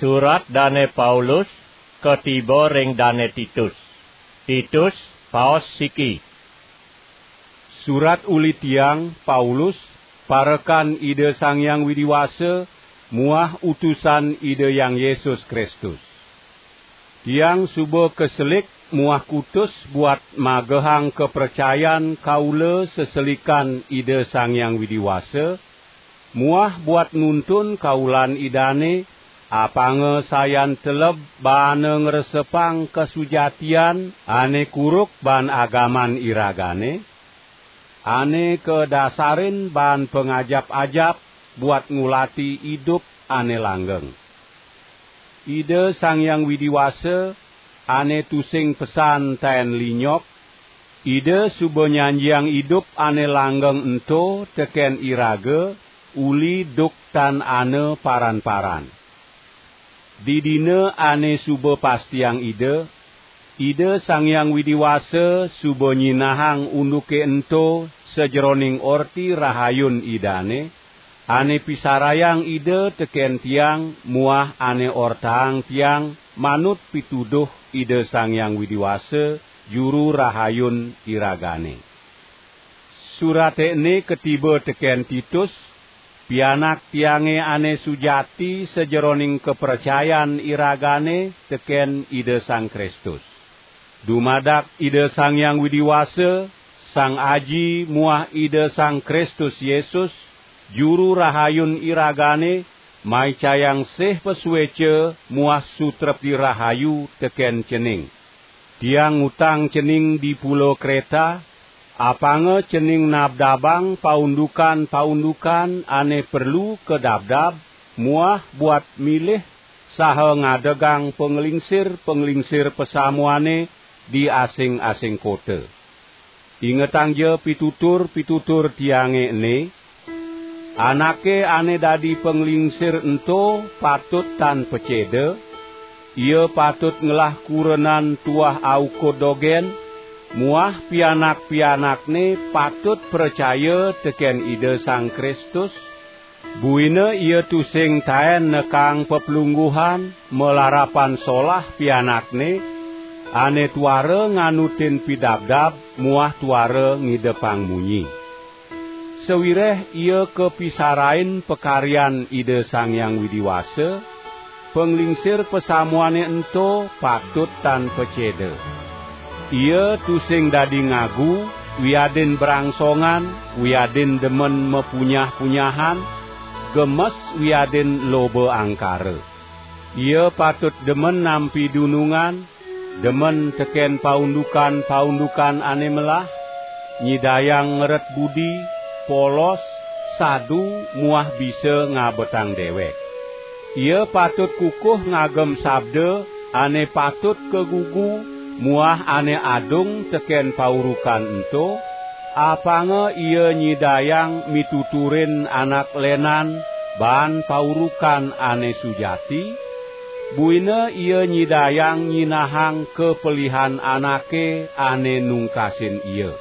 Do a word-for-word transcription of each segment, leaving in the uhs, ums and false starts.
Surat Dane Paulus katiba ring Dane Titus. Titus, paos siki. Surat uli tiang, Paulus, parekan Ida Sang Hyang Widi Wasa muah utusan Ida Hyang Yesus Kristus. Tiang suba kaselik muah kutus buat magehang kapracayan kaula seselikan Ida Sang Hyang Widi Wasa, muah buat nuntun kaulan Idane, apanga sayan teleb baana ngresepang kasujatian ane kuruk baan agaman iragane, ane kadasarin baan pangajap-ajap buat ngulati idup ane langgeng. Ida Sang Hyang Widi Wasa, ane tusing pesan taen linyok, Ida suba nyanjiang idup ane langgeng ento teken iraga uli duk tan ana paran-paran. Didina ane suba pastiang Ida, Ida Sang Hyang Widi Wasa suba nyinahang unduke ento sajeroning Orti Rahayun Idane, ane pisarayang Ida teken tiang muah ane ortaang tiang manut pituduh Ida Sang Hyang Widi Wasa, Juru Rahayun iragane. Surate ene katiba teken Titus, pianak tiange ane sujati sajeroning kapracayan iragane teken Ida Sang Kristus. Dumadak Ida Sang Hyang Widi Wasa, Sang Aji muah Ida Sang Kristus Yesus, Juru Rahayun iragane, maicayang sih pasueca muah sutrepti rahayu teken cening. Tiang ngutang cening di Pulo Kreta, apanga cening nabdabang paundukan-paundukan ane perlu kadabdab muah buat milih saha ngadegang panglingsir-panglingsir pasamuane di asing-asing kota. Ingetangja pitutur-pitutur tiange ene, anake ane dadi panglingsir ento patut tan paceda, ia patut ngelah kurenan tuah aukud dogen, muah pianak-pianakne patut pracaya teken Ida Sang Kristus, buina ia tusing taen nekang peplungguhan malarapan solah pianakne, ane tuara nganutin pidabdab muah tuara ngidepang munyi. Sawireh ia kapisarain pakaryan Ida Sang Hyang Widi Wasa, panglingsir pasamuane ento patut tan paceda. Ia tusing dadi ngagu, wiadin brangsongan, wiadin demen mapunyah-punyahan, gemes wiadin loba angkara. Ia patut demen nampi dunungan, demen teken paundukan-paundukan ane melah, nyidayang ngeret budi, polos, sadu, muah bisa ngabetang dewek. Ia patut kukuh ngagem sabda ane patut kagugu muah ane adung teken paurukan ento, apanga ia nyidayang mituturin anak lenan baan paurukan ane sujati, buina ia nyidayang nyinahang kapelihan anake ane nungkasin ia.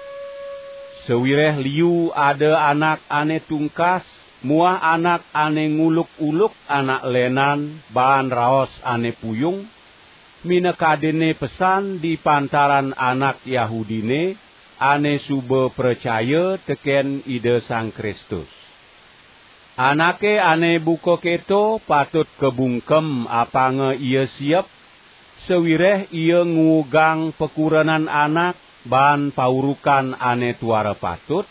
Sawireh liu ada anak ane tungkas muah anak ane nguluk-uluk anak lenan baan raos ane puyung, minakadinne pesan di pantaran anak Yahudine ane suba pracaya teken Ida Sang Kristus. Anake ane buka keto patut kabungkem apanga ia siep, sawireh ia nguugang pakurenan anak baan paurukan ane tuara patut,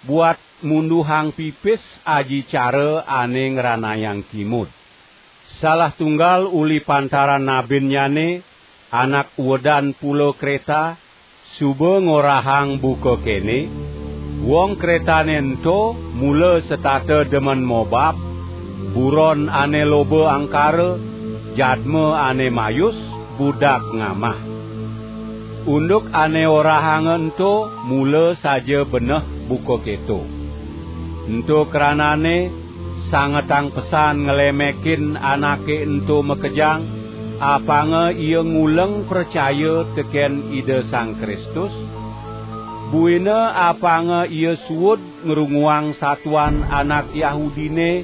buat munduhang pipis aji cara ane ngranayang kimud. Salah tunggal uli pantaran nabinnyane, anak uedan Pulo Kreta, suba ngorahang buka kene, wong Kretane ento mula setata demen mobab, buron ane loba angkara, jadma ane mayus, budak ngamah. Unduk ane orahanga ento mula saja beneh buka keto. Ento kranane, sangetang pesan nglemekin anake ento makejang, apanga ia nguleng pracaya teken Ida Sang Kristus, buina apanga ia suud ngrunguang satuan anak Yahudine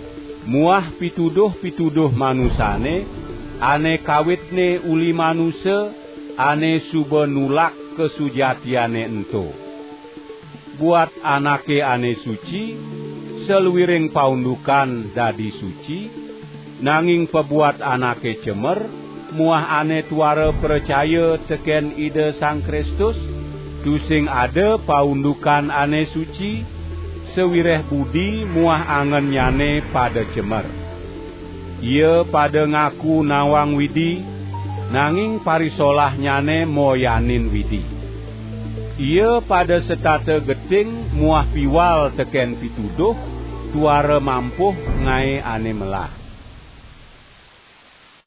muah pituduh-pituduh manusane, ane kawitne uli manusa, ane suba nulak kasujatiane ento. Buat anake ane suci, saluiring paundukan dadi suci, nanging pabuat anake cemer, muah ane tuara pracaya teken Ida Sang Kristus, tusing ada paundukan ane suci, sawireh budi muah angennyane pada cemer. Ia pada ngaku nawang Widi, nanging parisolahnyane moyanin Widi. Ia pada setata geting muah piwal teken pituduh, tuara mampuh ngae ane melah.